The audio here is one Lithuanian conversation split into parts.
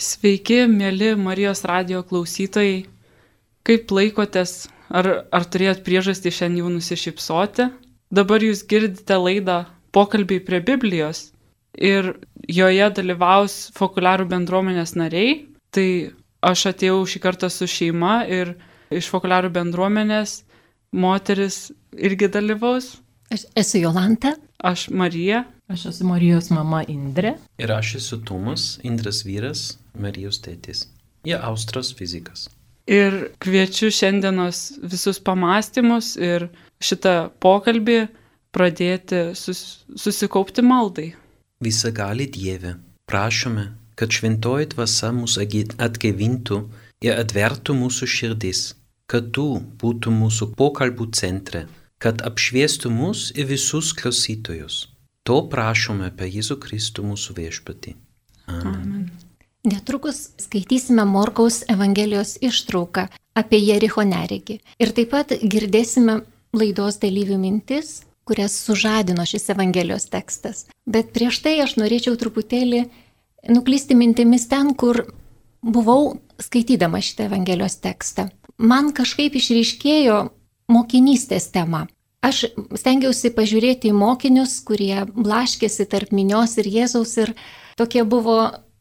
Sveiki, mėly Marijos radijo klausytojai. Kaip laikotės? Ar turėjot priežastį šiandien jau nusišypsoti? Dabar jūs girdite laidą Pokalbiai prie Biblijos ir joje dalyvaus Fokuliarų bendruomenės nariai. Tai aš atėjau šį kartą su šeima ir iš Fokuliarų bendruomenės moteris irgi dalyvaus. Aš esu Jolanta. Aš Marija. Aš esu Marijos mama Indrė. Ir aš esu Tomas, Indrės vyras, Marijos tėtis. Jie Austras fizikas. Ir kviečiu šiandienos visus pamąstymus ir šitą pokalbį pradėti susikaupti maldai. Visagali Dieve, prašome, kad šventoji dvasia mus atgaivintų ir atvertų mūsų širdis, kad tu būtum mūsų pokalbių centre, kad apšviestų mus ir visus klausytojus. To prašome per Jėzų Kristų mūsų viešpatį. Amen. Netrukus skaitysime Morkaus Evangelijos ištrauką apie Jericho neregį. Ir taip pat girdėsime laidos dalyvių mintis, kurias sužadino šis Evangelijos tekstas. Bet prieš tai aš norėčiau truputėlį nuklysti mintimis ten, kur buvau skaitydama šitą Evangelijos tekstą. Man kažkaip išryškėjo mokinystės tema. Aš stengiausi pažiūrėti į mokinius, kurie blaškėsi tarp minios ir Jėzaus ir tokie buvo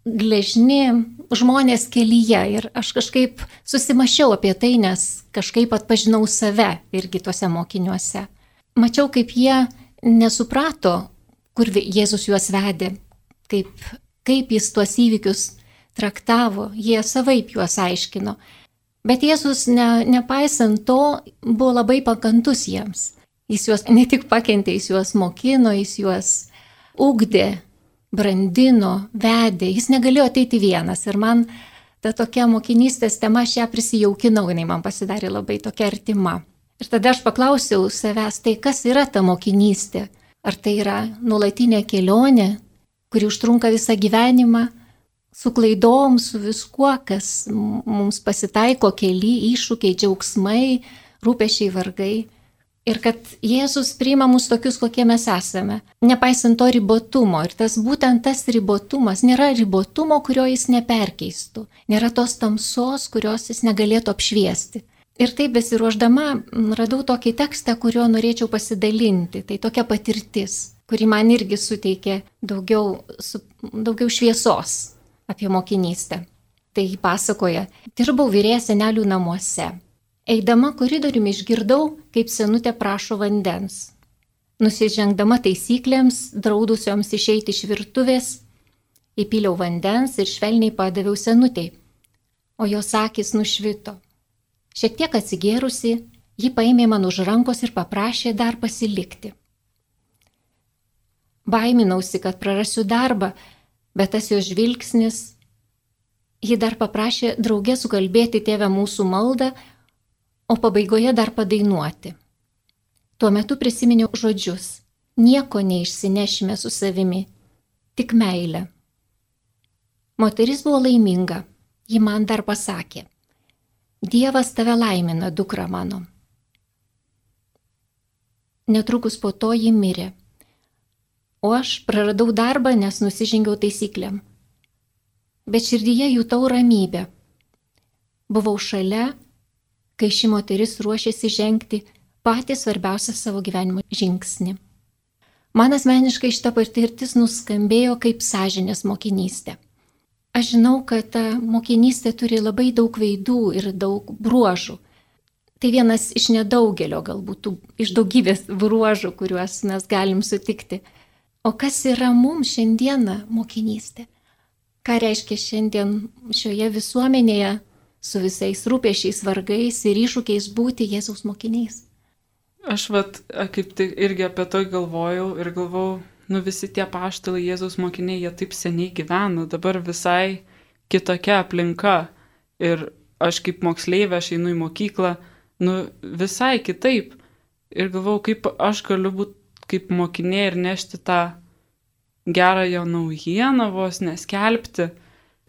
gležni žmonės kelyje. Ir aš kažkaip susimašiau apie tai, nes kažkaip atpažinau save irgi tuose mokiniuose. Mačiau, kaip jie nesuprato, kur Jėzus juos vedė, kaip jis tuos įvykius traktavo, jie savaip juos aiškino. Bet Jėzus, nepaisant to, buvo labai pakantus jiems. Jis juos ne tik pakentė, jis juos mokino, jis juos ugdė, brandino, vedė. Jis negalėjo ateiti vienas. Ir man ta tokia mokinystės tema, aš ją prisijaukinau, jinai man pasidarė labai tokia artima. Ir tada aš paklausiau savęs, tai kas yra ta mokinystė? Ar tai yra nuolatinė kelionė, kuri užtrunka visą gyvenimą, su klaidom, su viskuo, kas mums pasitaiko kely, iššūkiai, džiaugsmai, rūpesčiai, vargai. Ir kad Jėzus priima mus tokius, kokie mes esame, nepaisant to ribotumo. Ir būtent tas ribotumas, nėra ribotumo, kurio jis neperkeistų, nėra tos tamsos, kurios jis negalėtų apšviesti. Ir taip besiruošdama radau tokį tekstą, kuriuo norėčiau pasidalinti. Tai tokia patirtis, kuri man irgi suteikė daugiau šviesos apie mokinystę. Tai pasakoja, dirbau vyrėja senelių namuose. Eidama koridoriumi išgirdau, kaip senutė prašo vandens. Nusižengdama taisyklėms, draudusioms išeiti iš virtuvės, įpyliau vandens ir švelniai padaviau senutei, o jos akys nušvito. Šiek tiek atsigėrusi, ji paėmė man už rankos ir paprašė dar pasilikti. Baiminausi, kad prarasiu darbą, bet tas jos žvilgsnis, ji dar paprašė drauge sukalbėti Tėve mūsų maldą, o pabaigoje dar padainuoti. Tuo metu prisiminiau žodžius: nieko neišsinešime su savimi, tik meilę. Moteris buvo laiminga, ji man dar pasakė: Dievas tave laimina, dukra mano. Netrukus po to ji mirė, o aš praradau darbą, nes nusižengiau taisyklėm. Bet širdyje jutau ramybę. Buvau šalia, kai ši moteris ruošėsi žengti patį svarbiausią savo gyvenimo žingsnį. Man asmeniškai šita patirtis nuskambėjo kaip sąžinės mokinystė. Aš žinau, kad ta mokinystė turi labai daug veidų ir daug bruožų. Tai vienas iš nedaugelio, galbūt iš daugybės bruožų, kuriuos mes galim sutikti. O kas yra mums šiandieną mokinystė? Ką reiškia šiandien šioje visuomenėje su visais rūpesčiais, vargais ir iššūkiais būti Jėzaus mokiniais? Aš kaip tik irgi apie to galvojau ir galvojau, visi tie apaštalai Jėzaus mokiniai, jie taip seniai gyveno, dabar visai kitokia aplinka. Ir aš kaip moksleivė, aš einu į mokyklą, visai kitaip. Ir galvojau, kaip aš galiu būti kaip mokinė ir nešti tą gerąją naujieną, vos neskelbti.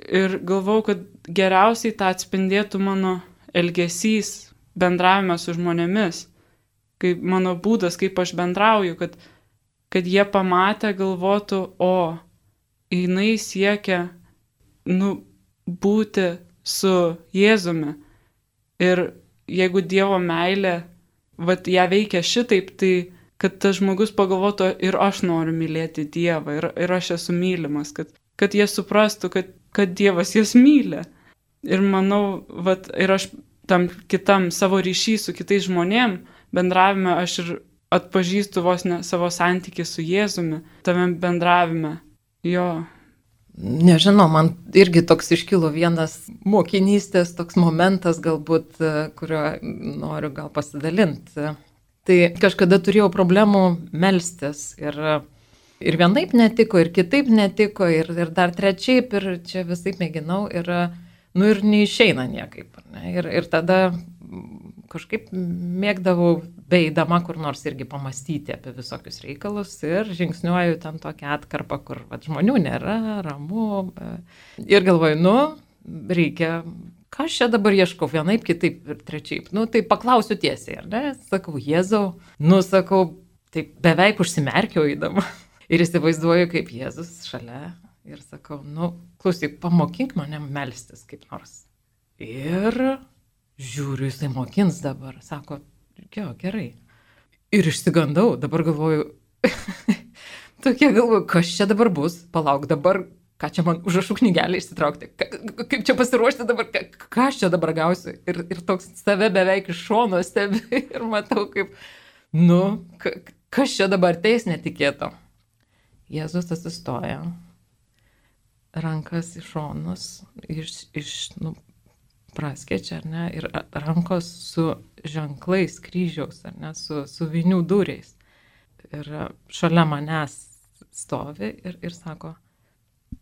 Ir galvojau, kad geriausiai tą atspindėtų mano elgesys bendravime su žmonėmis, kaip mano būdas, kaip aš bendrauju, kad jie pamatę galvotų, jinai siekia, būti su Jėzumi. Ir jeigu Dievo meilė, vat ją veikia šitaip, tai kad tas žmogus pagalvotų, ir aš noriu mylėti Dievą, ir aš esu mylimas, kad jie suprastų, kad Dievas jas myli. Ir manau, vat, ir aš tam kitam savo ryšį su kitais žmonėm bendravime, aš ir atpažįstu vos ne savo santykį su Jėzumi, tame bendravime. Jo. Nežinau, man irgi toks iškilo vienas mokinystės toks momentas galbūt, kurio noriu gal pasidalinti. Tai kažkada turėjau problemų melstis ir vienaip netiko, ir kitaip netiko, ir dar trečiaip, ir čia visaip mėginau, ir neišeina niekaip. Ne? Ir tada kažkaip mėgdavau beidama kur nors irgi pamastyti apie visokius reikalus ir žingsniuoju ten tokią atkarpą, kur žmonių nėra, ramu. Ir galvoju, reikia, ką aš čia dabar ieškau, vienaip, kitaip ir trečiaip. Tai paklausiu tiesiai, ar ne? Sakau, Jėzau, sakau, tai beveik užsimerkiau įdama. Ir įsivaizduoju, kaip Jėzus šalia ir sakau, klausyk, pamokink mane melstis kaip nors. Ir žiūriu, jisai mokins dabar, sako, gerai. Ir išsigandau, dabar galvoju, kas čia dabar bus, palauk dabar, ką čia man užrašų knygelę išsitraukti, kaip čia pasiruošti dabar, ką aš čia dabar gausiu. Ir toks save beveik iš šono stebi ir matau, kaip, kas čia dabar teis netikėto. Jėzus atsistoja, rankas į šonus, praskečia, ar ne, ir rankos su ženklais kryžiaus, ar ne, su vinių dūriais. Ir šalia manęs stovi ir sako,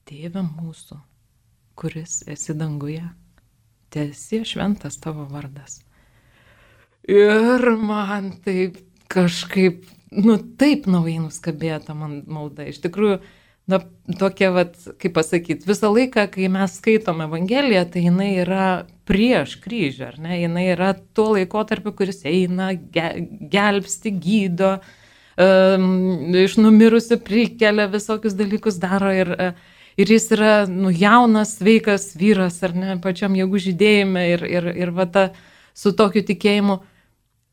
Tėve mūsų, kuris esi danguje, teesie šventas tavo vardas. Ir man taip kažkaip, taip naujai nuskambėta man malda. Iš tikrųjų, tokia, kaip pasakyti, visą laiką, kai mes skaitom Evangeliją, tai jinai yra prieš kryžių, ar ne? Jinai yra tuo laikotarpiu, kuris eina, gelbsti, gydo, iš numirusių prikelia, visokius dalykus daro ir jis yra jaunas, sveikas vyras, ar ne, pačiam jėgų žydėjime ir su tokiu tikėjimu.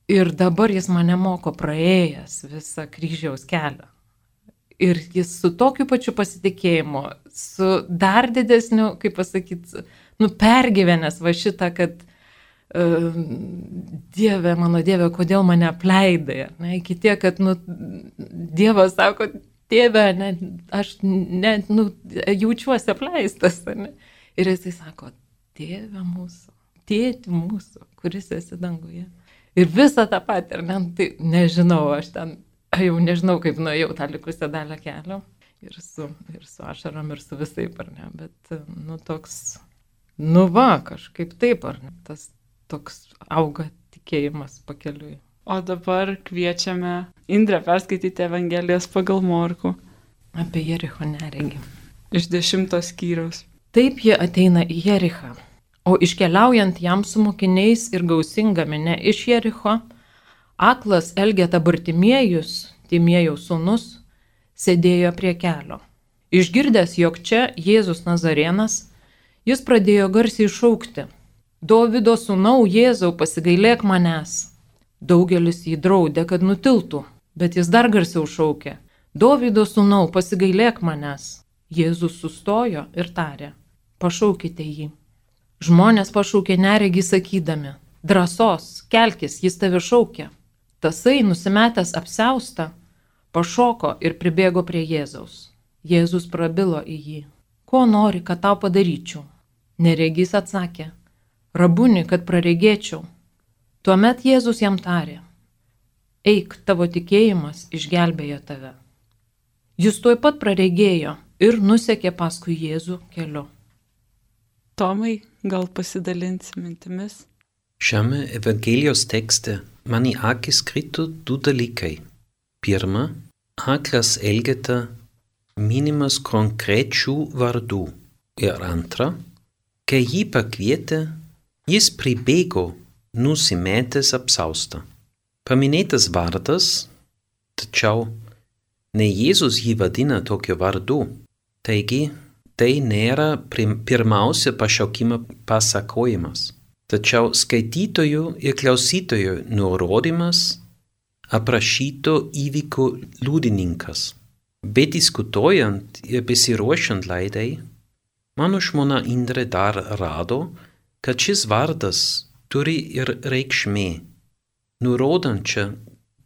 Ir dabar jis mane moko praėjęs visą kryžiaus kelią. Ir jis su tokiu pačiu pasitikėjimu, su dar didesniu, kaip pasakyti, pergyvenęs šitą, kad Dieve, mano Dieve, kodėl mane apleidai. Ne? Iki tiek, kad Dievas sako, Tėve, aš jaučiuosi apleistas. Ne? Ir jisai sako, Tėve mūsų, Tėti mūsų, kuris esi danguje. Ir visą tą patį, ar ne, tai nežinau, aš ten jau nežinau, kaip nuėjau tą likusią dalę kelio. Ir su ašarom, ir su visaip, ar ne. Bet, toks, kažkaip taip, ar ne. Tas toks auga tikėjimas pakeliui. O dabar kviečiame Indrę perskaityti Evangelijos pagal Morkų. Apie Jericho neregį. Iš 10 skyriaus. Taip jie ateina į Jerichą. O iškeliaujant jam su mokiniais ir gausinga minia iš Jericho, aklas Elgeta Bartimiejus, Timiejaus sūnus, sėdėjo prie kelio. Išgirdęs, jog čia Jėzus Nazarėnas, jis pradėjo garsiai šaukti, Dovydo sūnau, Jėzau, pasigailėk manęs. Daugelis jį draudė, kad nutiltų, bet jis dar garsiau šaukė, Dovydo sūnau, pasigailėk manęs. Jėzus sustojo ir tarė, pašaukite jį. Žmonės pašaukė neregį sakydami, drąsos, kelkis, jis tave šaukia. Tasai, nusimetęs apsiaustą, pašoko ir pribėgo prie Jėzaus. Jėzus prabilo į jį. Ko nori, kad tau padaryčiau? Neregys atsakė, Rabuni, kad praregėčiau. Tuomet Jėzus jam tarė, eik, tavo tikėjimas išgelbėjo tave. Jis tuoj pat praregėjo ir nusekė paskui Jėzų keliu. Tomai, gal pasidalinsi mintimis? Šiame Evangelijos tekste man į akis krito du dalykai. Pirma, aklas Elgeta minimas konkrečių vardų. Ir antra, kai jį pakvietė, jis pribėgo nusimetęs apsaustą. Paminėtas vardas, tačiau ne Jėzus jį vadina tokiu vardu. Taigi, tai nėra pirmiausia pašaukimo pasakojimas, tačiau skaitytojų ir klausytojų nurodymas aprašyto įvyko liudininkas. Bediskutuojant ir besiruošiant laidai, mano žmona Indrė dar rado, kad šis vardas turi ir reikšmė, nurodančią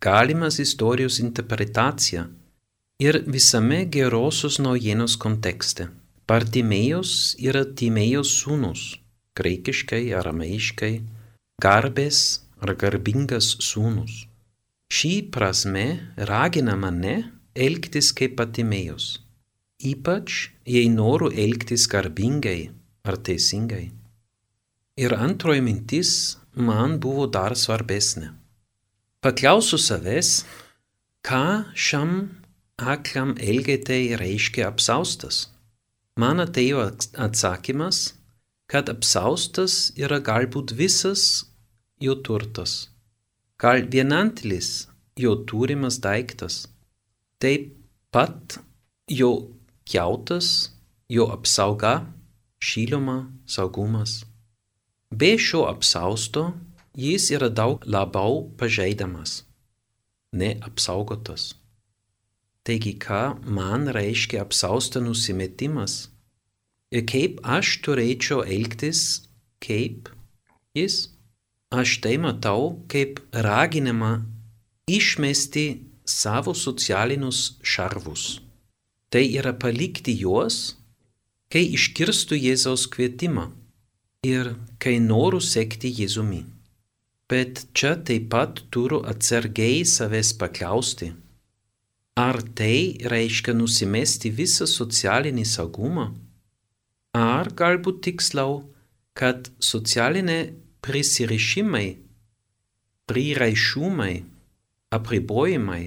galimas istorijos interpretaciją ir visame gerosios naujienos kontekste. Bartimėjus yra Timėjos sūnus, graikiškai, arameiškai, garbės ar garbingas sūnus. Šį prasme ragina mane elgtis kaip Bartimėjus, ypač jei noriu elgtis garbingai ar teisingai. Ir antroji mintis man buvo dar svarbesnė. Paklausiu savęs, ką šiam aklam elgetei reiškia apsaustas. Man atėjo atsakymas, kad apsaustas yra galbūt visas jo turtas, gal vienintelis jo turimas daiktas, taip pat jo kiautas, jo apsauga, šiluma, saugumas. Be šio apsausto jis yra daug labiau pažeidamas, neapsaugotas. Taigi, ką man reiškia apsausto nusimetimas ir kaip aš turėčiau elgtis, kaip jis? Aš tai matau kaip raginimą išmesti savo socialinius šarvus. Tai yra palikti juos, kai išgirstu Jėzaus kvietimą ir kai noriu sekti Jėzumi. Bet čia taip pat turiu atsargiai savęs paklausti, ar tai reiškia nusimesti visą socialinį saugumą, ar galbūt tiksliau, kad socialinė prisirišimai, priraišumai, apribojimai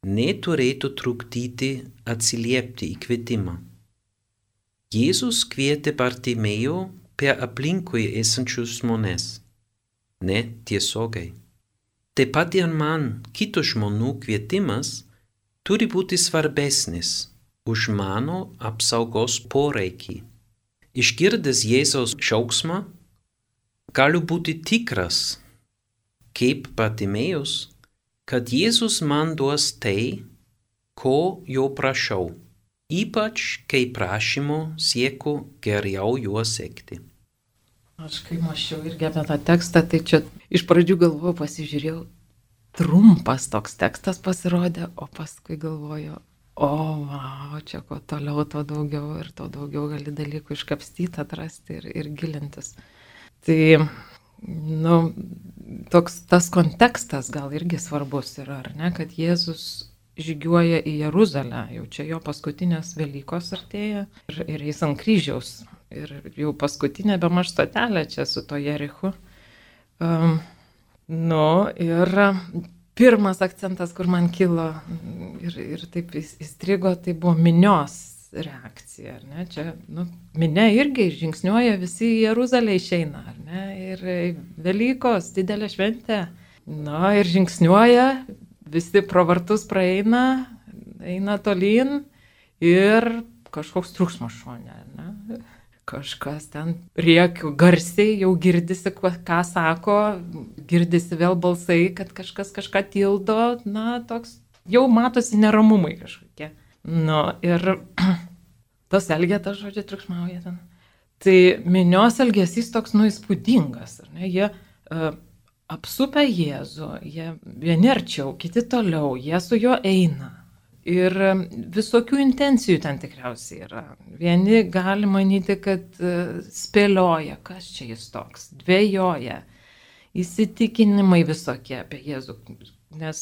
neturėtų trukdyti atsiliepti į kvietimą. Jėzus kvietė Bartimėjų per aplinkui esančius žmones. Ne tiesiogiai. Taip pat ir man kitų žmonių kvietimas turi būti svarbesnis už mano apsaugos poreikį. Išgirdęs Jėzaus šauksmą, galiu būti tikras, kaip Bartimėjus, kad Jėzus man duos tai, ko jo prašau, ypač kai prašymo siekiu geriau juo sekti. Aš kai mąsčiau irgi apie tą tekstą, tai čia iš pradžių galvojau, pasižiūrėjau, trumpas toks tekstas pasirodė, o paskui galvoju, wow, čia ko toliau, to daugiau gali dalykų iškapstyti, atrasti ir gilintis. Tai, toks tas kontekstas gal irgi svarbus yra, ar ne, kad Jėzus žygiuoja į Jeruzalę, jau čia jo paskutinės Velykos artėja ir jis ant kryžiaus. Ir jau paskutinė bemaž stotelė čia su to Jerichu. Ir pirmas akcentas, kur man kilo ir taip įstrigo, tai buvo minios reakcija. Ar ne? Čia minia irgi žingsniuoja, visi į Jeruzalę išeina. Ar ne? Ir Velykos, didelė šventė. Ir žingsniuoja, visi pro vartus praeina, eina tolyn ir kažkoks triukšmas šone. Ne? Kažkas ten rėkia garsiai, jau girdisi, ką sako, girdisi vėl balsai, kad kažkas kažką tildo, toks jau matosi neramumai kažkokie. Ir tos Elgetas, žodžiu, triukšmauja ten. Tai minios elgesys toks įspūdingas, ar ne? Jie apsupia Jėzų, jie vieni arčiau, kiti toliau, jie su juo eina. Ir visokių intencijų ten tikriausiai yra. Vieni gali manyti, kad spėlioja, kas čia jis toks, dvejoja, įsitikinimai visokie apie Jėzų. Nes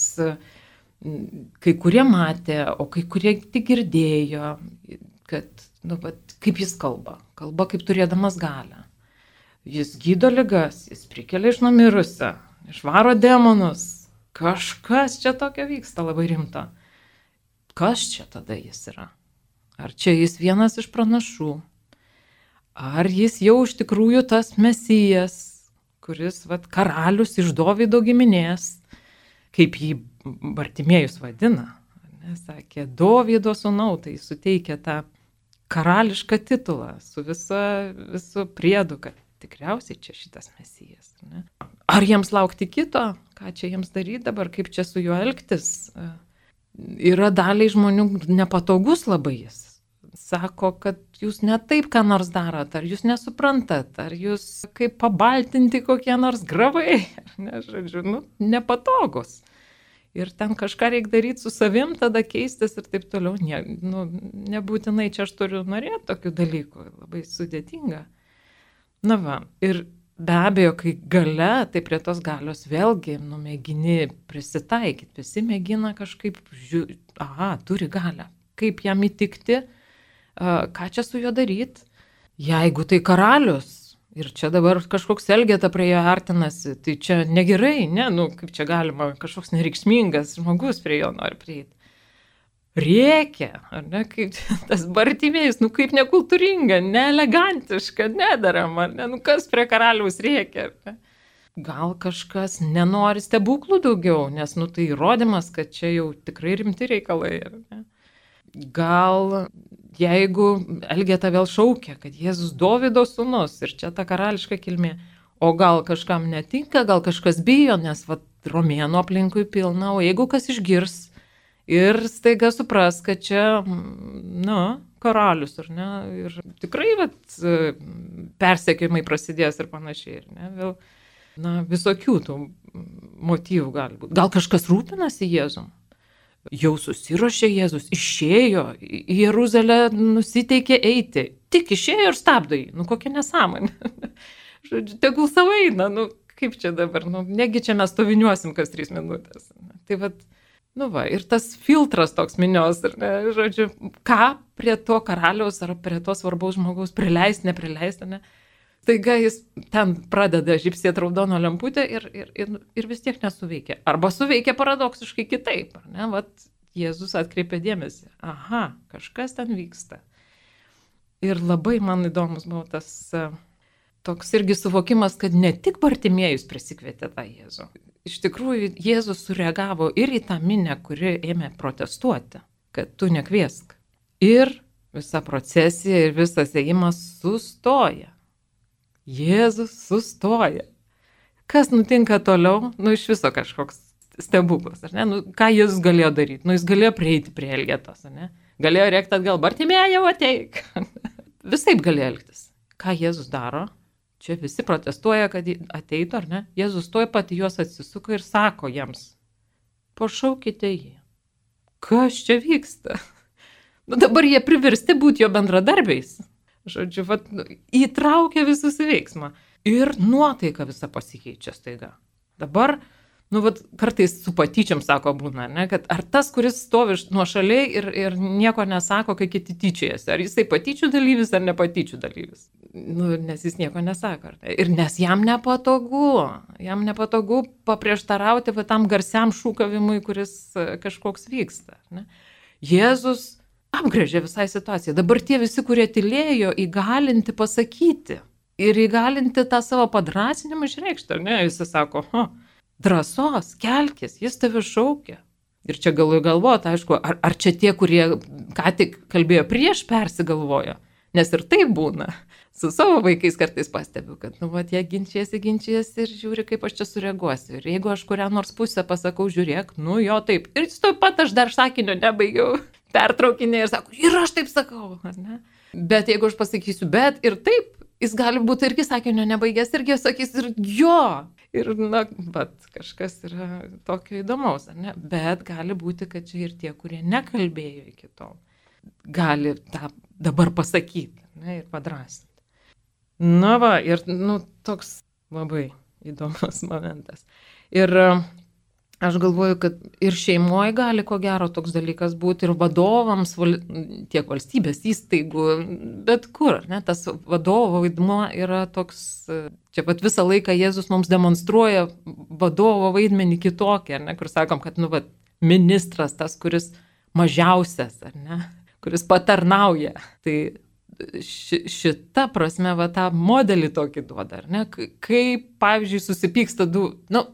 kai kurie matė, o kai kurie tik girdėjo, kad, kaip jis kalba kaip turėdamas galią. Jis gydo ligas, jis prikelia iš numirusio, išvaro demonus. Kažkas čia tokio vyksta labai rimto. Kas čia tada jis yra? Ar čia jis vienas iš pranašų? Ar jis jau iš tikrųjų tas Mesijas, kuris karalius iš Dovydo giminės, kaip jį Bartimėjus vadina? Sakė, Dovydo sūnau, tai suteikia tą karališką titulą, su visu priedu, kad tikriausiai čia šitas Mesijas. Ne? Ar jiems laukti kito? Ką čia jiems daryti dabar? Kaip čia su juo elgtis? Yra daliai žmonių nepatogus labai jis. Sako, kad jūs ne taip ką nors darot, ar jūs nesuprantat, ar jūs kaip pabaltinti kokie nors gravai, ne, žodžiu, nepatogus. Ir ten kažką reikia daryti su savim, tada keistis ir taip toliau. Nebūtinai čia aš turiu norėti tokių dalykų, labai sudėtinga. Na va, ir be abejo, kai gale, tai prie tos galios vėlgi, mėgini prisitaikyti, visi mėgina kažkaip, turi galią, kaip jam įtikti, ką čia su juo daryti, jeigu tai karalius ir čia dabar kažkoks Elgeta prie jo artinasi, tai čia negerai, ne, kaip čia galima, kažkoks nereikšmingas žmogus prie jo nori prieiti. Rėkia, ar ne, kaip tas Bartimėjus, kaip nekultūringa, neelegantiška, nedarama, ar ne, kas prie karaliaus rėkia, ar ne. Gal kažkas nenori stebuklų daugiau, nes, tai įrodymas, kad čia jau tikrai rimti reikalai, ar ne. Gal jeigu Elgeta vėl šaukia, kad Jėzus Dovydo sūnus ir čia ta karališka kilmė, o gal kažkam netinka, gal kažkas bijo, nes romėnų aplinkui pilna, o jeigu kas išgirs ir staiga supras, kad čia, karalius, ar ne, ir tikrai persekiojimai prasidės ir panašiai, ir ne, vėl, visokių tų motyvų gali būti. Gal kažkas rūpinasi Jėzum? Jau susiruošė Jėzus, išėjo į Jeruzalę, nusiteikė eiti. Tik išėjo ir stabdo jį. Kokia nesąmonė. Žodžiu, tegul savo eina. Kaip čia dabar? Negi čia mes stoviniuosim kas 3 minutės. Tai ir tas filtras toks minios. Žodžiu, ką prie to karaliaus ar prie to svarbaus žmogaus prileisti, neprileisti, ne? Taiga jis ten pradeda žybsėti raudono lemputę ir vis tiek nesuveikia. Arba suveikia paradoksiškai kitaip. Ne? Jėzus atkreipė dėmesį. Aha, kažkas ten vyksta. Ir labai man įdomus buvo tas toks irgi suvokimas, kad ne tik Bartimėjus prisikvietė tą Jėzų. Iš tikrųjų, Jėzus sureagavo ir į tą minę, kuri ėmė protestuoti, kad tu nekviesk. Ir visa procesija ir visas ėjimas sustoja. Jėzus sustoja. Kas nutinka toliau? Iš viso kažkoks stebuklas, ar ne? Ką Jėzus galėjo daryti? Jis galėjo prieiti prie Elgetos, ar ne? Galėjo rėkti atgal, Bartimėjau, ateik. Visaip galėjo elgtis. Ką Jėzus daro? Čia visi protestuoja, kad ateitų, ar ne? Jėzus tuoj pat juos atsisuka ir sako jiems, pašaukite jį. Kas čia vyksta? Dabar jie priversti būti jo bendradarbiais. Žodžiu, įtraukia visus į veiksmą. Ir nuotaika visa pasikeičia staiga. Dabar, kartais su patyčiam sako būna, ne, kad ar tas, kuris stovi nuošaliai ir nieko nesako, kai kiti tyčiojasi, ar jisai patyčių dalyvis ar nepatyčių dalyvis. Nes jis nieko nesako. Ir nes jam nepatogu paprieštarauti tam garsiam šūkavimui, kuris kažkoks vyksta. Ne. Jėzus apgrėžė visai situaciją. Dabar tie visi, kurie tylėjo, įgalinti pasakyti ir įgalinti tą savo padrąsinimą išreikšti. Ne? Jis sako, drąsos, kelkis, jis tave šaukia. Ir čia galvoti, aišku, ar čia tie, kurie ką tik kalbėjo prieš, persigalvojo. Nes ir tai būna. Su savo vaikais kartais pastebiu, kad jie ginčiasi ir žiūri, kaip aš čia sureaguosiu. Ir jeigu aš kurią nors pusę pasakau, žiūrėk, jo taip. Ir tuoj pat aš dar sakinio nebaigiau. Pertraukinė ir sako, ir aš taip sakau, ar ne? Bet jeigu aš pasakysiu, bet ir taip, jis gali būti irgi sakinio nebaigęs, irgi sakys ir jo. Ir, kažkas yra tokio įdomaus, ar ne? Bet gali būti, kad čia ir tie, kurie nekalbėjo iki tol, gali tą dabar pasakyti, ne, ir padrąsinti. Ir, toks labai įdomus momentas. Ir aš galvoju, kad ir šeimoje gali ko gero toks dalykas būti, ir vadovams, tiek valstybės įstaigų, bet kur, ne, tas vadovo vaidmuo yra toks, čia visą laiką Jėzus mums demonstruoja vadovo vaidmenį kitokį, ar ne, kur sakom, kad, ministras tas, kuris mažiausias, ar ne, kuris patarnauja, tai šita prasme tą modelį tokį duoda, ar ne? Kai, pavyzdžiui, susipyksta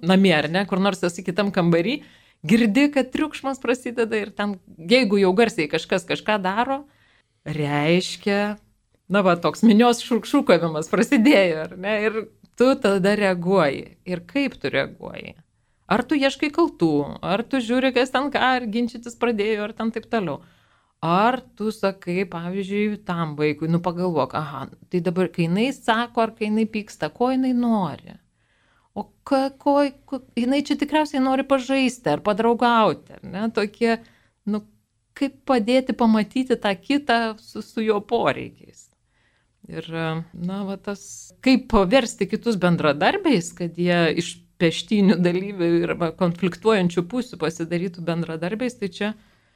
namie, ar ne, kur nors esi kitam kambarį, girdi, kad triukšmas prasideda ir ten, jeigu jau garsiai kažkas kažką daro, reiškia, toks minios šūkavimas prasidėjo, ar ne? Ir tu tada reaguoji. Ir kaip tu reaguoji? Ar tu ieškai kaltų, ar tu žiūri, kas ten ką, ar ginčytis pradėjo, ar ten taip toliau. Ar tu sakai, pavyzdžiui, tam vaikui, pagalvok, tai dabar, kai jinai sako, ar kai jinai pyksta, ko jinai nori? O jinai čia tikriausiai nori pažaisti, ar padraugauti, ar ne? Tokie, kaip padėti pamatyti tą kitą su jo poreikiais. Ir, tas, kaip paversti kitus bendradarbiais, kad jie iš peštynių dalyvių ir konfliktuojančių pusių pasidarytų bendradarbiais, tai čia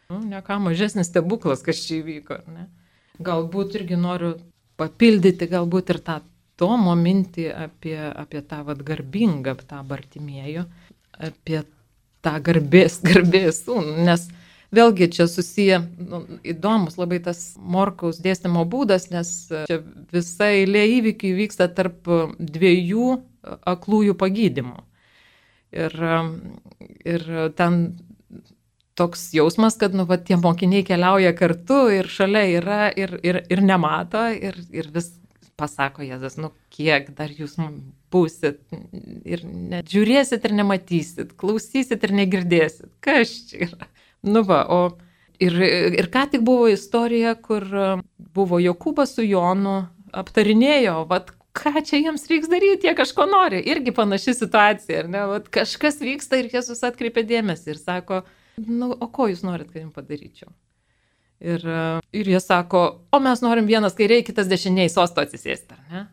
ne ką mažesnis stebuklas, kas čia įvyko. Ne? Galbūt irgi noriu papildyti galbūt ir tą Tomo mintį apie tą garbingą, tą Bartimiejų, apie tą garbės sūnų, nes vėlgi čia susiję, įdomus labai tas Morkaus dėstymo būdas, nes čia visa eilė įvykių vyksta tarp dviejų aklųjų pagydymų. Ir ten toks jausmas, kad tie mokiniai keliauja kartu ir šalia yra ir nemato ir vis pasako Jėzus, kiek dar jūs būsit ir žiūrėsit ir nematysit, klausysit ir negirdėsit. Kas čia yra? Ir ką tik buvo istorija, kur buvo Jokūbas su Jonu aptarinėjo, ką čia jiems reiks daryti, jie kažko nori. Irgi panaši situacija, ar ne? Kažkas vyksta ir Jėzus atkreipia dėmesį ir sako, o ko jūs norit, kad jums padaryčiau? Ir jie sako, o mes norim vienas kairiai, kitas dešiniai sosto atsisėsti, ar ne?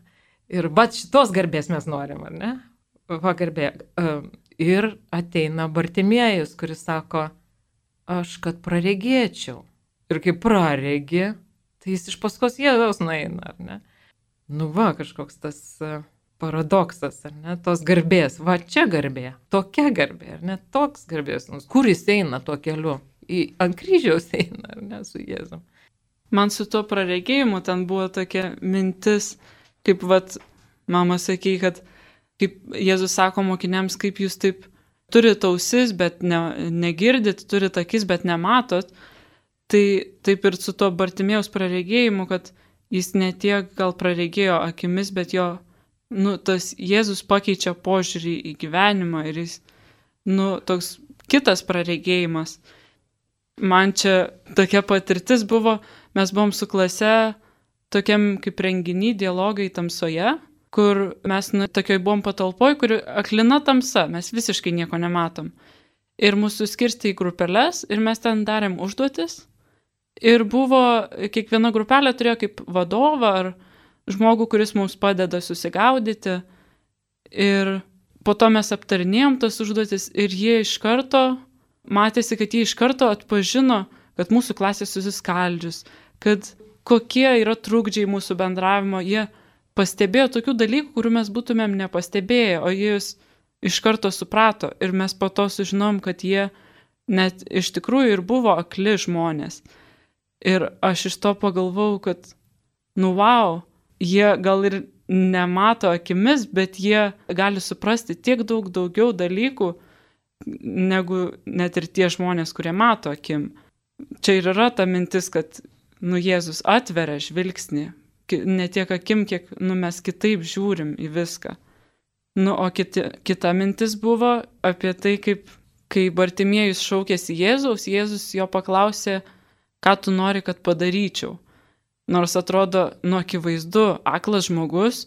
Ir šitos garbės mes norim, ar ne? Garbė. Ir ateina Bartimiejus, kuris sako, aš kad praregėčiau. Ir kai praregi, tai jis iš paskos Jėzaus nueina, ar ne? Kažkoks tas paradoksas, ar ne? Tos garbės. Čia garbė, tokia garbė, ar ne? Toks garbės. Kur jis eina tuo keliu? Ant kryžiaus eina, ar ne, su Jėzum. Man su tuo praregėjimu ten buvo tokia mintis, kaip mama sakė, kad kaip Jėzus sako mokiniams, kaip jūs taip turit ausis, bet negirdit, turit akis, bet nematot, tai taip ir su tuo Bartimėjaus praregėjimu, kad jis ne tiek gal praregėjo akimis, bet jo, tas Jėzus pakeičia požiūrį į gyvenimą ir jis, toks kitas praregėjimas. Man čia tokia patirtis buvo, mes buvom su klase tokiam kaip renginy dialogai tamsoje, kur mes tokioj buvom patalpoj, kur aklina tamsa, mes visiškai nieko nematom. Ir mūsų skirstė į grupeles ir mes ten darėm užduotis. Ir buvo, kiekviena grupelė turėjo kaip vadovą ar žmogų, kuris mums padeda susigaudyti. Ir po to mes aptarinėjom tas užduotis ir jie iš karto matėsi, kad jie iš karto atpažino, kad mūsų klasė susiskaldžius, kad kokie yra trukdžiai mūsų bendravimo. Jie pastebėjo tokių dalykų, kurių mes būtumėm nepastebėję, o jie iš karto suprato. Ir mes po to sužinom, kad jie net iš tikrųjų ir buvo akli žmonės. Ir aš iš to pagalvojau, kad, jie gal ir nemato akimis, bet jie gali suprasti tiek daug daugiau dalykų, negu net ir tie žmonės, kurie mato akim. Čia ir yra ta mintis, kad Jėzus atveria žvilgsnį, ne tiek akim, kiek mes kitaip žiūrim į viską. O kita mintis buvo apie tai, kaip kai Bartimiejus šaukėsi Jėzaus, Jėzus jo paklausė, ką tu nori, kad padaryčiau. Nors atrodo, akivaizdu, aklas žmogus,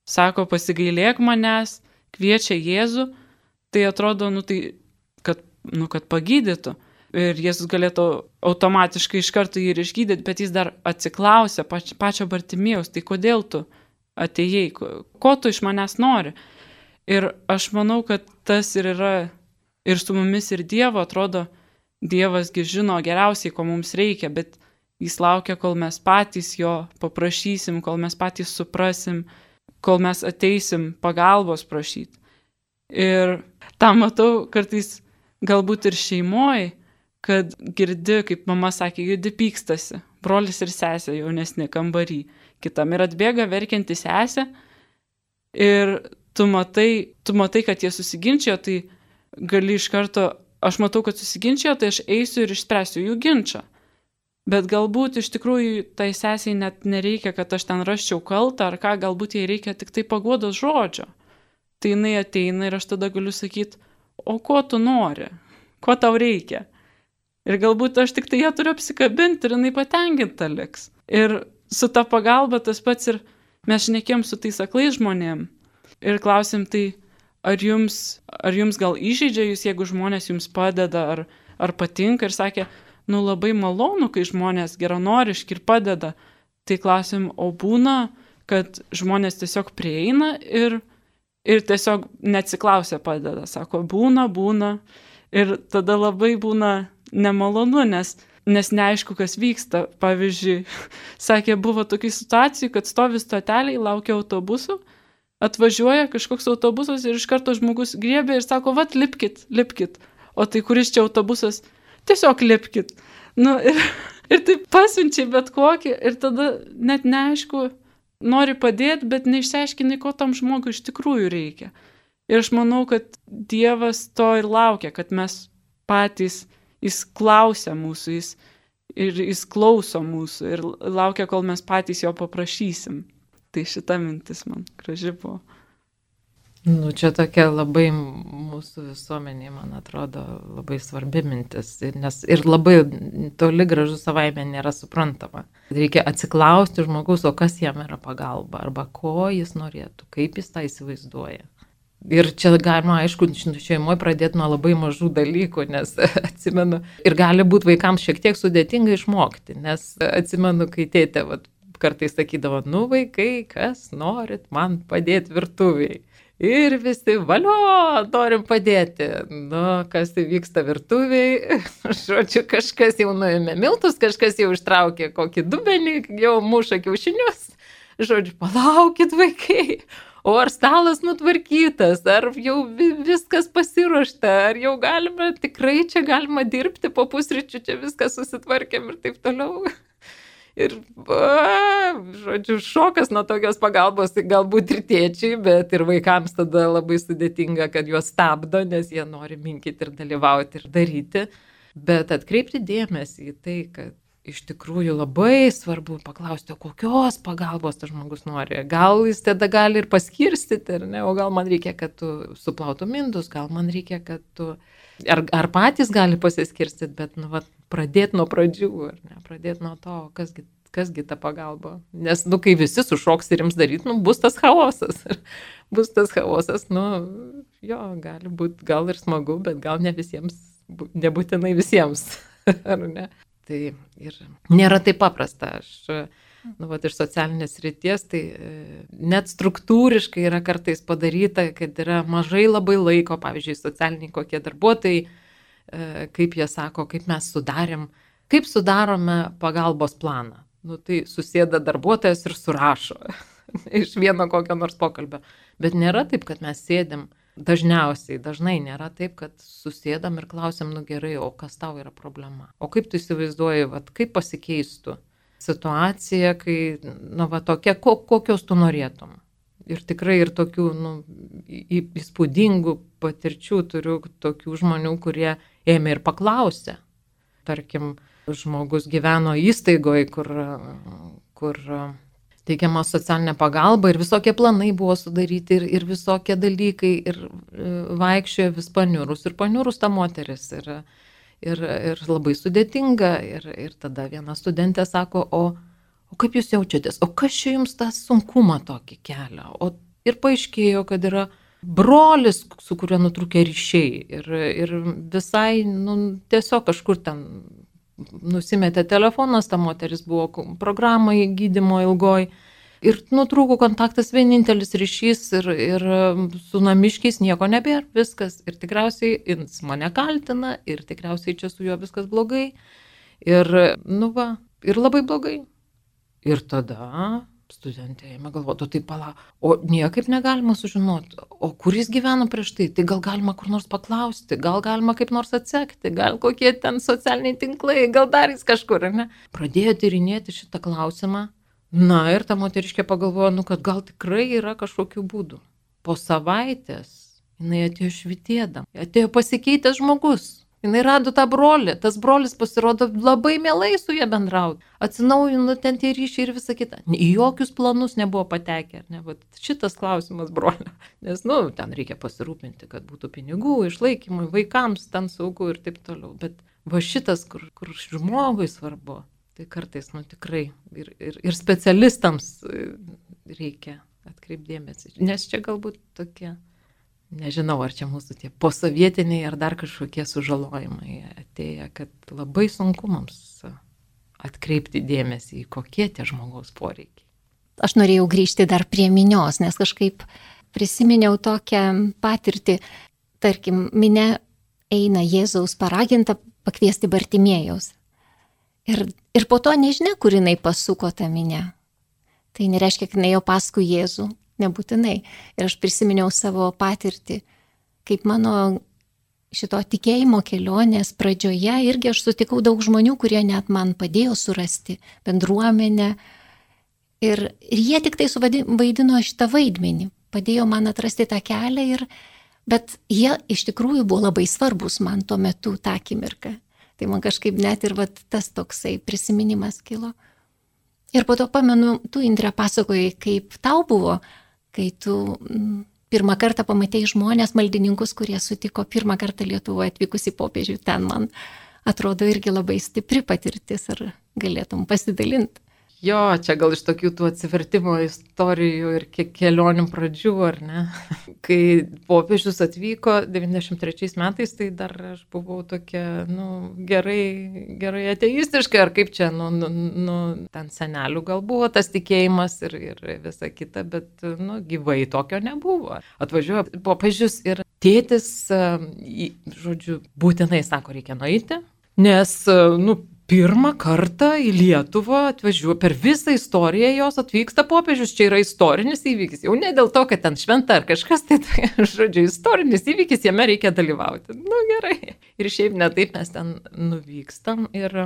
sako, pasigailėk manęs, kviečia Jėzų, tai atrodo, kad pagydytų. Ir Jėzus galėtų automatiškai iš karto jį ir išgydyti, bet jis dar atsiklausė pačio Bartimėjaus, tai kodėl tu atėjai, ko tu iš manęs nori. Ir aš manau, kad tas ir yra ir su mumis ir Dievo, atrodo, Dievasgi žino geriausiai, ko mums reikia, bet jis laukia, kol mes patys jo paprašysim, kol mes patys suprasim, kol mes ateisim pagalbos prašyti. Ir tą matau kartais galbūt ir šeimoje, kad girdi, kaip mama sakė, girdi pykstasi, brolis ir sesė jaunesni kambarį, kitam ir atbėga verkianti sesė ir tu matai, kad jie susiginčijo, tai gali iš karto, aš matau, kad susiginčijo, tai aš eisiu ir išspręsiu jų ginčą. Bet galbūt iš tikrųjų tai sesiai net nereikia, kad aš ten rasčiau kaltą, ar ką, galbūt jai reikia tik tai paguodos žodžio. Tai jinai ateina ir aš tada galiu sakyti, o ko tu nori, ko tau reikia. Ir galbūt aš tik tai ją turiu apsikabinti ir jinai patenkinta liks. Ir su ta pagalba tas pats ir mes šnekėjom su tais aklais žmonėm. Ir klausim, tai ar jums gal įžeidžia jūs, jeigu žmonės jums padeda, ar patinka, ir sakė, labai malonu, kai žmonės geranoriški ir padeda. Tai klausim, o būna, kad žmonės tiesiog prieina ir tiesiog neatsiklausia padeda. Sako, būna. Ir tada labai būna nemalonu, nes neaišku, kas vyksta. Pavyzdžiui, sakė, buvo tokių situacijų, kad stovi stoteliai, laukia autobusų, atvažiuoja kažkoks autobusas ir iš karto žmogus griebė ir sako, vat, lipkit. O tai kuris čia autobusas? Tiesiog lipkit. Ir taip pasiunčiai bet kokį ir tada net neaišku, nori padėti, bet neišsiaiškinai, ko tam žmogui iš tikrųjų reikia. Ir aš manau, kad Dievas to ir laukia, kad mes patys, jis klausia mūsų, jis klauso mūsų ir laukia, kol mes patys jo paprašysim. Tai šita mintis man graži buvo. Čia tokia labai mūsų visuomeniai, man atrodo, labai svarbi mintis, nes ir labai toli gražu savaime nėra suprantama. Reikia atsiklausti žmogaus, o kas jam yra pagalba, arba ko jis norėtų, kaip jis tą įsivaizduoja. Ir čia galima, aišku, šeimoje pradėti nuo labai mažų dalykų, nes atsimenu, ir gali būti vaikams šiek tiek sudėtinga išmokti, nes atsimenu, kai tėtė kartais sakydavo, vaikai, kas norit man padėti virtuviai. Ir visi, valio, norim padėti. Kas vyksta virtuviai, žodžiu, kažkas jau nuėmė miltus, kažkas jau ištraukė kokį dubenį, jau muša kiaušinius. Žodžiu, palaukit vaikai, o ar stalas nutvarkytas, ar jau viskas pasiruošta, ar jau tikrai čia galima dirbti po pusryčių, čia viskas susitvarkėm ir taip toliau. Ir, žodžiu, šokas nuo tokios pagalbos, galbūt ir tėčiai, bet ir vaikams tada labai sudėtinga, kad juos stabdo, nes jie nori minkyti ir dalyvauti ir daryti. Bet atkreipti dėmesį į tai, kad iš tikrųjų labai svarbu paklausti, kokios pagalbos tas žmogus nori. Gal jis tada gali ir paskirstyti, o gal man reikia, kad tu suplautum indus, gal man reikia, kad tu... Ar patys gali pasiskirstyti, bet pradėti nuo pradžių, pradėti nuo to, kasgi ta pagalba. Nes, kai visi sušoks ir jums daryti, bus tas chaosas. Bus tas chaosas, gali būti gal ir smagu, bet gal ne visiems, nebūtinai visiems. Ar ne? Tai ir nėra taip paprasta. Aš, iš socialinės srities, tai net struktūriškai yra kartais padaryta, kad yra mažai labai laiko, pavyzdžiui, socialiniai kokie darbuotojai, kaip jie sako, kaip mes kaip sudarome pagalbos planą. Tai susėda darbuotojas ir surašo iš vieno kokio nors pokalbio. Bet nėra taip, kad mes sėdim, dažnai nėra taip, kad susėdam ir klausim, gerai, o kas tau yra problema? O kaip tu įsivaizduoji, kaip pasikeistų situacija, kai, tokia, kokios tu norėtum. Ir tikrai ir tokių, įspūdingų patirčių turiu tokių žmonių, kurie ėmė ir paklausė. Tarkim, žmogus gyveno įstaigoje, kur teikiama socialinė pagalba ir visokie planai buvo sudaryti ir visokie dalykai ir vaikščiojo vis paniurus ta moteris. Ir labai sudėtinga. Ir tada viena studentė sako, o kaip jūs jaučiatės? O kas čia jums tą sunkumą tokį kelia? Ir paaiškėjo, kad yra brolis, su kuriuo nutrūkė ryšiai. Ir visai, tiesiog kažkur ten nusimetė telefonas, ta moteris buvo programai gydymo ilgoj. Ir nutrūko kontaktas, vienintelis ryšys ir su namiškiais nieko nebėra, viskas. Ir tikriausiai jis mane kaltina ir tikriausiai čia su juo viskas blogai. Ir labai blogai. Ir tada studentė ėmė galvoti, tai o niekaip negalima sužinoti, o kur jis gyveno prieš tai, tai gal galima kur nors paklausti, gal galima kaip nors atsekti, gal kokie ten socialiniai tinklai, gal dar jis kažkur, ar ne? Pradėjo tyrinėti šitą klausimą. Ir ta moteriškė pagalvojo, kad gal tikrai yra kažkokių būdų. Po savaitės jinai atėjo švytėdama, atėjo pasikeitęs žmogus. Jinai rado tą brolį, tas brolis pasirodo labai mielai su jie bendrauti. Atsinaujino ten tie ryšiai ir visa kita. Į jokius planus nebuvo patekę. Ne? Vat šitas klausimas brolio. Nes, ten reikia pasirūpinti, kad būtų pinigų, išlaikymui, vaikams ten saugu ir taip toliau. Bet va šitas, kur žmogui svarbu, tai kartais, tikrai ir specialistams reikia atkreipdėmėsi. Nes čia galbūt tokie... Nežinau, ar čia mūsų tie posovietiniai ar dar kažkokie sužalojimai atėję, kad labai sunku mums atkreipti dėmesį į kokie tie žmogaus poreikiai. Aš norėjau grįžti dar prie minios, nes kažkaip prisiminiau tokią patirtį. Tarkim, minia eina Jėzaus paraginta pakviesti Bartimėjaus. Ir po to nežinia, kur jinai pasuko tą minią. Tai nereiškia, kad jinai jau paskui Jėzų. Nebūtinai. Ir aš prisiminiau savo patirtį, kaip mano šito tikėjimo kelionės pradžioje irgi aš sutikau daug žmonių, kurie net man padėjo surasti bendruomenę. Ir jie tik tai suvaidino šitą vaidmenį, padėjo man atrasti tą kelią, bet jie iš tikrųjų buvo labai svarbus man tuo metu tą akimirką. Tai man kažkaip net ir tas toksai prisiminimas kilo. Ir po to pamenu, tu, Indre, pasakojai, kaip tau buvo, kai tu pirmą kartą pamatėjai žmonės, maldininkus, kurie sutiko pirmą kartą Lietuvoje atvykusi popiežių. Ten man atrodo irgi labai stipri patirtis, ar galėtum pasidalinti. Jo, čia gal iš tokių tų atsivertimo istorijų ir kelionių pradžių, ar ne? Kai popiežius atvyko 93 metais, tai dar aš buvau tokia, gerai ateistiška, ar kaip čia, ten senelių gal buvo tas tikėjimas ir visa kita, bet, gyvai tokio nebuvo. Atvažiuoja popiežius ir tėtis, žodžiu, būtinai sako, reikia nueiti, nes, pirmą kartą į Lietuvą atvažiuoja, per visą istoriją jos atvyksta popiežius, čia yra istorinis įvykis, jau ne dėl to, kad ten šventa ar kažkas, tai žodžiu, istorinis įvykis, jame reikia dalyvauti. Gerai. Ir šiaip ne taip mes ten nuvykstam ir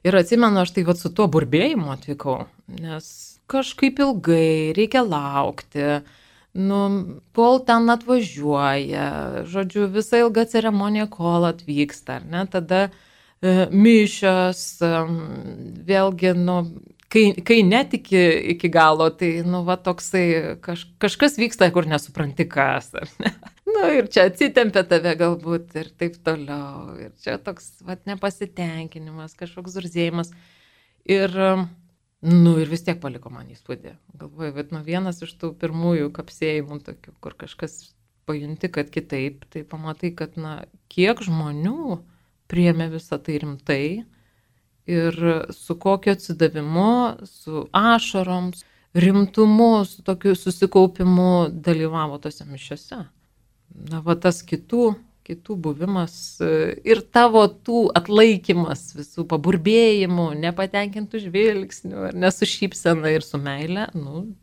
atsimenu, aš tai su tuo burbėjimu atvykau, nes kažkaip ilgai reikia laukti, kol ten atvažiuoja, žodžiu, visa ilga ceremonija, kol atvyksta, ar ne, tada mišios, vėlgi, kai netiki iki galo, tai, toksai kažkas vyksta, kur nesupranti kas, ar ne? Ir čia atsitempia tave galbūt ir taip toliau. Ir čia toks, nepasitenkinimas, kažkoks zurzėjimas. Ir vis tiek paliko man įspūdį. Galvoju, vienas iš tų pirmųjų kapsėjimų tokių, kur kažkas pajunti, kad kitaip, tai pamatai, kad, kiek žmonių priėmė visą tai rimtai ir su kokiu atsidavimu, su ašarom, rimtumu, su tokiu susikaupimu dalyvavo tose mišiose. Tas kitų buvimas ir tavo tų atlaikymas visų paburbėjimų, nepatenkintų žvilgsnių, ne su šypsena ir su meile,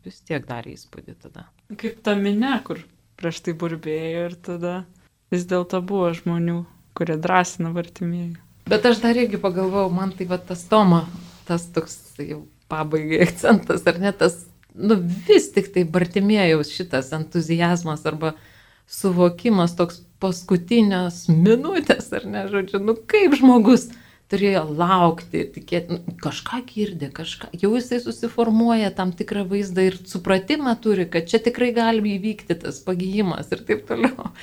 vis tiek darė įspūdį tada. Kaip ta minia, kur prieš tai burbėjo ir tada vis dėlto buvo žmonių, kurie drąsina Bartimėjų. Bet aš dar irgi pagalvojau, man tai tas Tomo, tas toks jau pabaigai akcentas, ar ne, tas, vis tik tai Bartimėjaus šitas entuzijazmas arba suvokimas toks paskutinės minutės, ar ne, žodžiu, kaip žmogus turėjo laukti, tikėti, kažką girdi, jau jisai susiformuoja tam tikrą vaizdą ir supratimą turi, kad čia tikrai gali įvykti tas pagijimas ir taip toliau.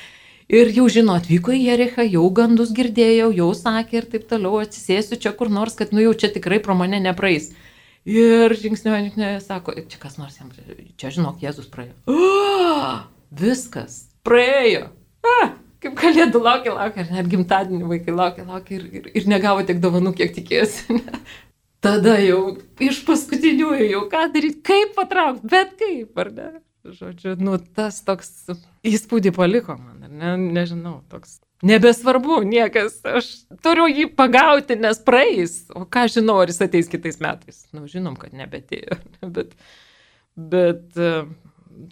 Ir jau žino, atvyko į Jerichą, jau gandus girdėjau, jau sakė ir taip toliau, atsisėsiu čia kur nors, kad jau čia tikrai pro mane nepraeis. Ir žingsniuoja, sako, čia kas nors jam, čia žinok, Jėzus praėjo. Viskas, praėjo. Kaip kalėdų laukia, ar net gimtadienį vaikai laukia ir negavo tiek dovanų, kiek tikėjosi. Tada jau iš paskutiniųjų jau ką daryti, kaip patraukti, bet kaip, ar ne? Žodžiu, tas toks įspūdį paliko man, ar ne, nežinau, toks nebesvarbu niekas, aš turiu jį pagauti, nes praeis, o ką žinau, ar jis ateis kitais metais. Žinom, kad nebetėjo, bet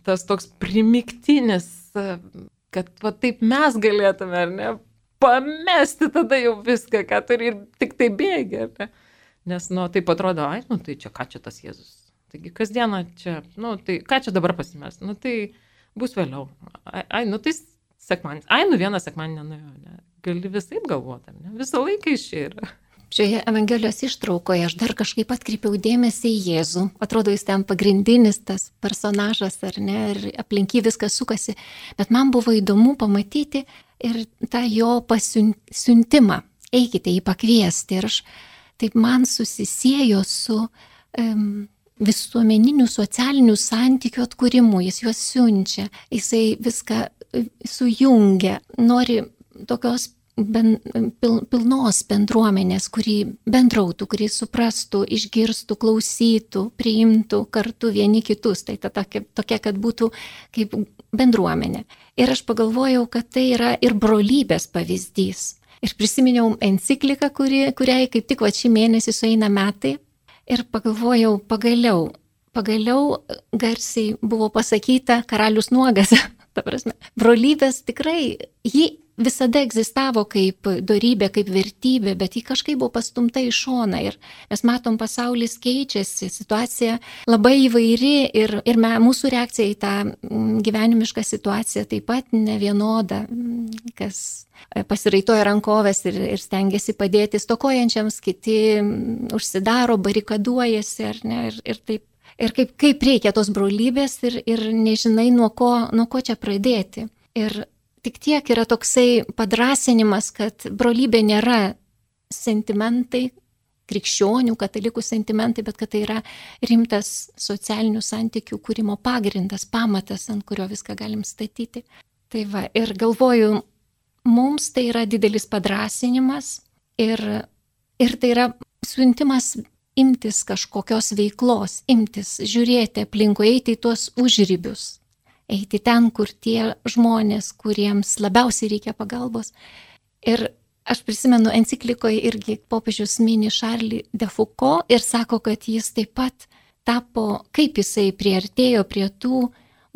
tas toks primiktinis, kad taip mes galėtume, ar ne, pamesti tada jau viską, ką turi ir tik tai bėgi, ar ne, nes, taip atrodo, tai čia ką čia tas Jėzus. Taigi kasdieną čia, tai ką čia dabar pasimest, tai bus vėliau. Tai sekmadienis, vieną sekmadienį nenuėjo, ne? gali visaip galvoti, ne? Visą laiką iš čia yra. Šioje Evangelijos ištraukoje aš dar kažkaip atkreipiau dėmesį į Jėzų. Atrodo, jis ten pagrindinis tas personažas, ar ne, ir aplink jį viskas sukasi. Bet man buvo įdomu pamatyti ir tą jo pasiuntimą. Eikite jį pakviesti. Ir aš taip man susisiejo su visuomeninių socialinių santykių atkūrimu. Jis juos siunčia, jisai viską sujungia, nori tokios pilnos bendruomenės, kuri bendrautų, kuri suprastų, išgirstų, klausytų, priimtų kartu vieni kitus. Tai tokia, kad būtų kaip bendruomenė. Ir aš pagalvojau, kad tai yra ir brolybės pavyzdys. Ir prisiminiau encikliką, kuriai kaip tik šį mėnesį sueina metai. Ir pagalvojau, pagaliau garsiai buvo pasakyta karalius nuogas. Ta prasme, brolybės tikrai, ji visada egzistavo kaip dorybė, kaip vertybė, bet ji kažkaip buvo pastumta į šoną. Ir mes matom, pasaulis keičiasi, situacija labai įvairi ir mūsų reakcija į tą gyvenimišką situaciją taip pat nevienoda, kas pasiraitoja rankovės ir stengiasi padėti stokojančiams, kiti užsidaro, barikaduojasi, ar ne, ir taip. Ir kaip reikia tos brolybės ir nežinai, nuo ko čia pradėti. Ir tik tiek yra toksai padrasinimas, kad brolybė nėra sentimentai, krikščionių, katalikų sentimentai, bet kad tai yra rimtas socialinių santykių kūrimo pagrindas, pamatas, ant kurio viską galim statyti. Tai va, ir galvoju, mums tai yra didelis padrasinimas ir tai yra siuntimas imtis kažkokios veiklos, žiūrėti aplinkui, eiti į tuos užribius, eiti ten, kur tie žmonės, kuriems labiausiai reikia pagalbos. Ir aš prisimenu, enciklikoje irgi popiežius mini Charlie de Foucault ir sako, kad jis taip pat tapo, kaip jisai priartėjo prie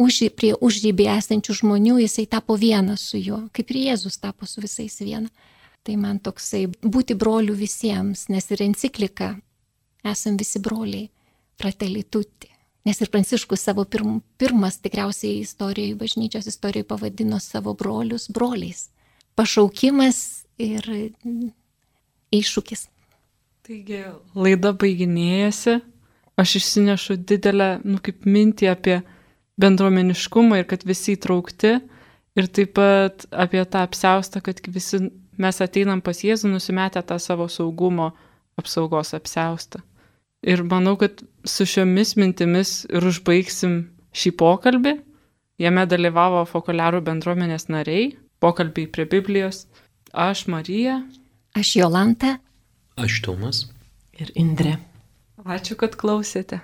užribį esančių žmonių, jisai tapo vienas su juo, kaip ir Jėzus tapo su visais viena. Tai man toksai būti brolių visiems, nes ir enciklika esam visi broliai, fratelli tutti. Nes ir Pranciškus savo pirmas tikriausiai bažnyčios istorijoje pavadino savo brolius broliais. Pašaukimas ir iššūkis. Taigi, laida baiginėjasi. Aš išsinešu didelę, kaip mintį apie bendruomeniškumą ir kad visi įtraukti. Ir taip pat apie tą apsiaustą, kad visi mes ateinam pas Jėzų nusimetę tą savo saugumo apsaugos apsiaustą. Ir manau, kad su šiomis mintimis ir užbaigsim šį pokalbį. Jame dalyvavo Fokuliarų bendruomenės nariai, pokalbiai prie Biblijos. Aš Marija. Aš Jolanta. Aš Tomas. Ir Indrė. Ačiū, kad klausėte.